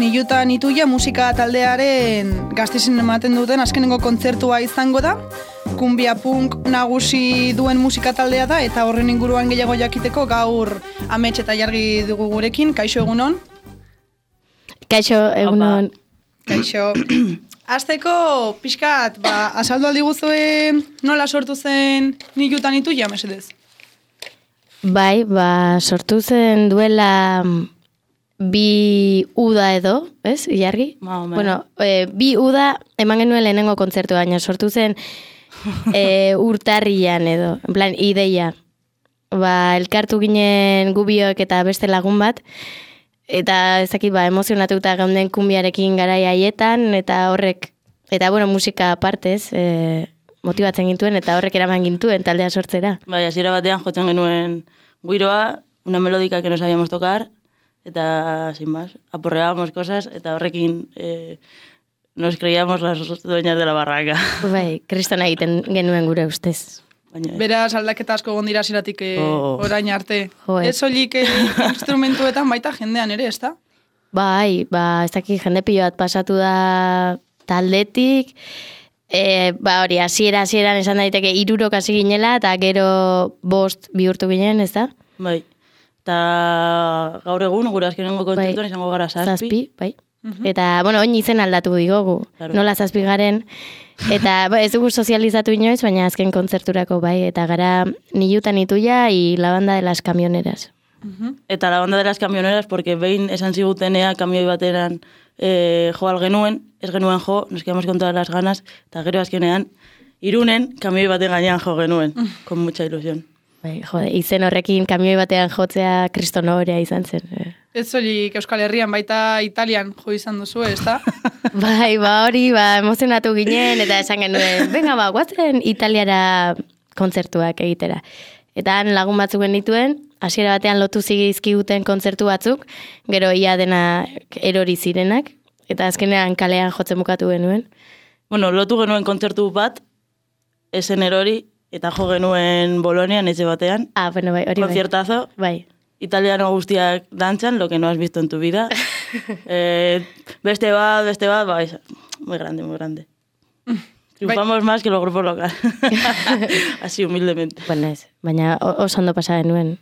Niluta Nituia musika taldearen Gasteizen ematen duten azkenengo kontzertua izango da. Kumbia punk nagusi duen musika taldea da eta horren inguruan gehiago jakiteko gaur Amets eta Jargi dugu gurekin. Kaixo egunon. Kaixo egunon. Kaixo. Azteko pixkat, azaldu aldi guztue nola sortu zen Niluta Nituia, mesedez? Bai, sortu zen duela 2 uda edo, ez, Jargi? Bueno, 2 uda eman genuen lehenengo kontzertu, baina sortu zen urtarrian edo, en plan, ideia. Elkartu ginen gubiok eta beste lagun bat, eta ezakit, emozionatuta geunden kumbiarekin garai haietan, eta horrek, eta bueno, musika partez, motibatzen gintuen, eta horrek eraman gintuen taldea sortzera. Bai, hasiera batean jotzen genuen guiroa, una melódica que no sabíamos tocar, eta sin más, aporreábamos cosas, eta horrekin nos creíamos las dueñas de la barraca. Bai, kristona egiten genuen gure ustez. Beraz, aldaketa asko gondira ziratik orain arte. Ez soilik instrumentuetan baita jendean ere, ez da? Bai, ez dakit jende pilo bat pasatu da taldetik, hori, hasieran esan daiteke 3 hasi ginela, eta gero 5 bihurtu ginen, ez da? Bai, eta gaur egun, gure azkenengo kontzertuan izango gara 7. Bai. Eta, bueno, oin izen aldatu digogu, nola 7 garen, eta ez dugu sozializatu inoiz, baina azken kontzerturako bai, eta gara Niluta Nituia y la banda de las camioneras. Eta la banda de las camioneras, porque behin esan zigutenea kamioi bateran jo algenuen, ez genuen jo, nos quedamos con todas las ganas, eta gero azkenean, Irunen kamioi baten gainean jo genuen, con mucha ilusión. Bai, jode, izen horrekin kamioi batean jotzea kristonorea izan zen. Ez soilik Euskal Herrian, baita Italian jo izan duzu, ez da? Bai, hori, emozionatu ginen, eta esan genuen, venga, guatzen Italiara kontzertuak egitera. Eta han lagun batzuk genituen, hasiera batean lotu zigizkiguten kontzertu batzuk, gero ia dena erori zirenak, eta azkenean kalean jotzen bukatu genuen. Bueno, lotu genuen kontzertu bat, esen erori, eta jo genuen Bolonian etxe batean. Bueno, bai, hori bai. Conciertazo. Bai. Italiano guztiak dantzan, lo que no has visto en tu vida. Beste bat, bai, muy grande, muy grande. Triunfamos más que los grupos locales. Así, humildemente. Bueno, ez, baina oso ondo pasa genuen.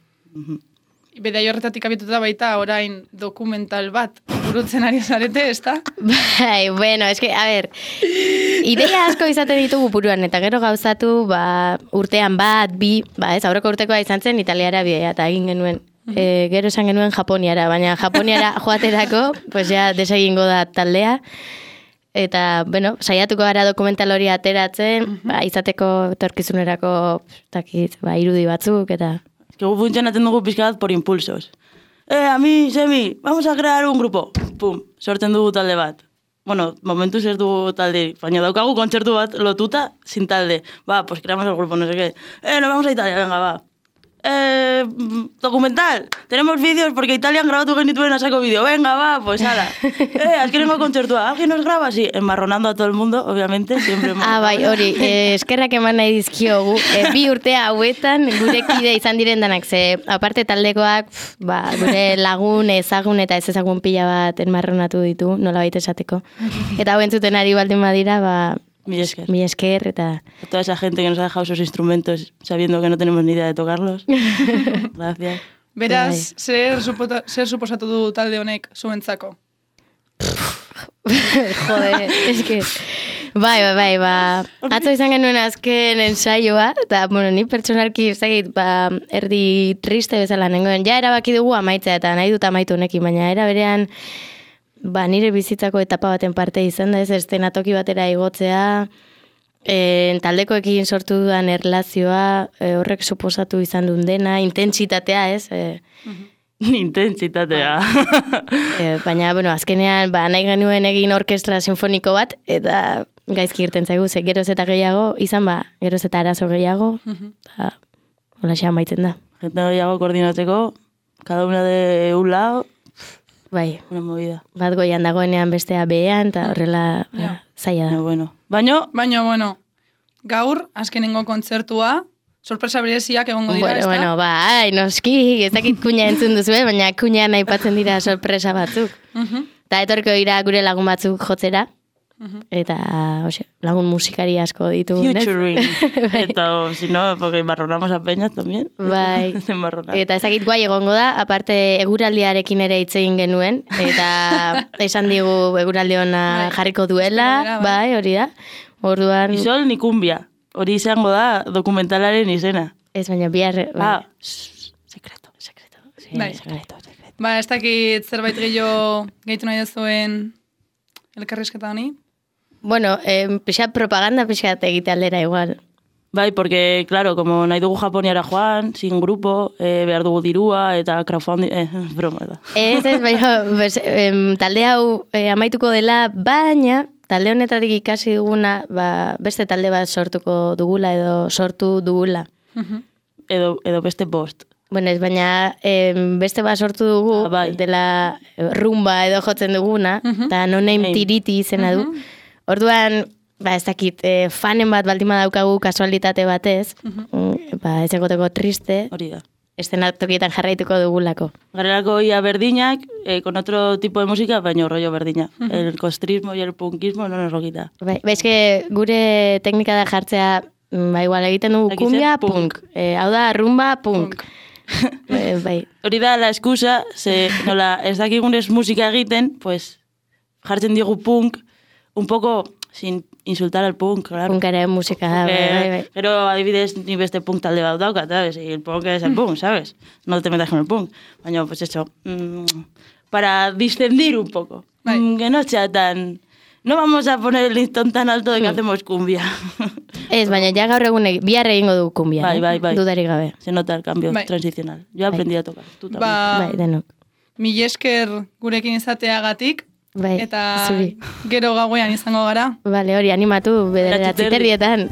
Bidai horretatik abituta baita orain dokumental bat burutzen ari zarete, ez da? Bai, bueno, eske, a ver, ideia asko izaten ditugu buruan, eta gero gauzatu, urtean 2, ez, aurreko urtekoa izan zen Italiara bidea, eta egin genuen. Gero esan genuen Japoniara, baina Japoniara joaterako, pues ja desegingo da taldea, eta, bueno, saiatuko gara dokumental hori ateratzen, izateko etorkizunerako, irudi batzuk, eta... Es que funtzionatzen dugu pizkat por impulsos. A mí, Semi, vamos a crear un grupo. Pum, sortzen dugu talde bat. Bueno, momentuz ez dugu talde, baina daukagu kontzertu bat lotuta sin talde. Pues creamos el grupo, no sé qué. Nos vamos a Italia, venga, va. Documental, tenemos vídeos porque Italian grabatu genituen a saco vídeo. Venga, va, pues ala. Azkenengo kontzertua, ¿alguien nos graba? Sí, enmarronando a todo el mundo, obviamente. Siempre bai, hori, eskerrak eman nahi dizkiogu. 2 urte hauetan gure kide izan diren danak, ze aparte taldekoak, gure lagun, ezagun eta ez ezagun pila bat enmarronatu ditu, nola baita esateko. Eta hau entzuten ari baldin badira, mi esker, eta... A toda esa gente que nos ha dejado esos instrumentos sabiendo que no tenemos ni idea de tocarlos. Gracias. Beraz, zer suposatu du talde honek zuentzako? Jode, eske... Bai, atzo izan genuen azken ensaioa, eta, bueno, ni pertsonalki ezagit, erdi triste bezala nengoen. Ja erabaki dugu amaitzea, eta nahi dut amaitu honekin, baina era berean... nire bizitzako etapa baten parte izan da, ez eszenatoki batera igotzea, taldekoekin sortu dudan erlazioa, horrek suposatu izan duen dena, intentsitatea, ez? Intentsitatea. Baina, bueno, azkenean, nahi genuen egin orkestra sinfoniko bat, eta gaizki irten zaigu, ze geroz eta gehiago, izan geroz eta arazo gehiago, eta hola xa amaitzen da. Gente gehiago koordinatzeko, cada una de un lado, bai, una movida. Bat goian dagoenean bestea behean, eta horrela zaila da. Bueno. Baina, gaur, azkenengo kontzertua, sorpresa bereziak egongo dira, ez da? Bueno, bai, noski, ez dakit kuña entzun duzu, baina kuña nahi patzen dira sorpresa batzuk. Eta etorko dira gure lagun batzuk jotzera. Eta, lagun musikari asko ditugu. Futuring. Eta, si no, porque embarronamos a Peña también. Bai. Eta ezakit guai egongo da, aparte eguraldiarekin ere hitz egin genuen, eta esan digu eguraldi ona jarriko duela, bai, hori da. Orduan... Ni sol, ni cumbia. Hori izango da dokumentalaren izena. Ez baina bihar... Sekreto. Bai. Ba, ez dakit zerbait gehitu nahi duzuen elkarrizketa honi? Bueno, pixat propaganda pixat egite aldera igual. Bai, porque, claro, como nahi dugu Japoniara joan, sin grupo, behar dugu dirua, eta crowdfunding, broma da. Ez, baina, talde hau amaituko dela, baina talde honetatik ikasi duguna, beste talde bat sortuko dugula edo sortu dugula. Edo beste bost. Bueno, ez baina beste bat sortu dugu, dela rumba edo jotzen duguna, eta no name tiriti izena du. Orduan, ez dakit, fanen bat baldima daukagu kasualitate batez, ez egoteko triste, hori da. Eszenatokietan jarraituko dugulako. Garelako ia berdinak, con otro tipo de música, baina rollo berdina. El costrismo y el punkismo no nos lo quita. Bai, que gure teknika da jartzea, igual egiten dugu kumbia, punk. Hau da, rumba, punk. Bai. Hori da la excusa, nola ez dakigunez musika egiten, pues jartzen digu punk, un poco sin insultar al punk, claro. Punkaren musika da, bai. Pero adibidez ni beste punk talde bat daukat, ¿sabes? Y el punk es el punk, ¿sabes? No te metas con el punk. Baina, pues eso, para discendir un poco. Que no sea tan... No vamos a poner el listón tan alto de que hacemos cumbia. Ez, baina ja gaur egun bihar egingo du cumbia. Bai. Dudarik gabe. Se nota el cambio transicional. Yo aprendí a tocar. Tú también. Bai, denok. Mil esker gurekin izateagatik. Bai, eta zuri. Gero gauean izango gara. Bale, hori animatu bederatzi terrietan.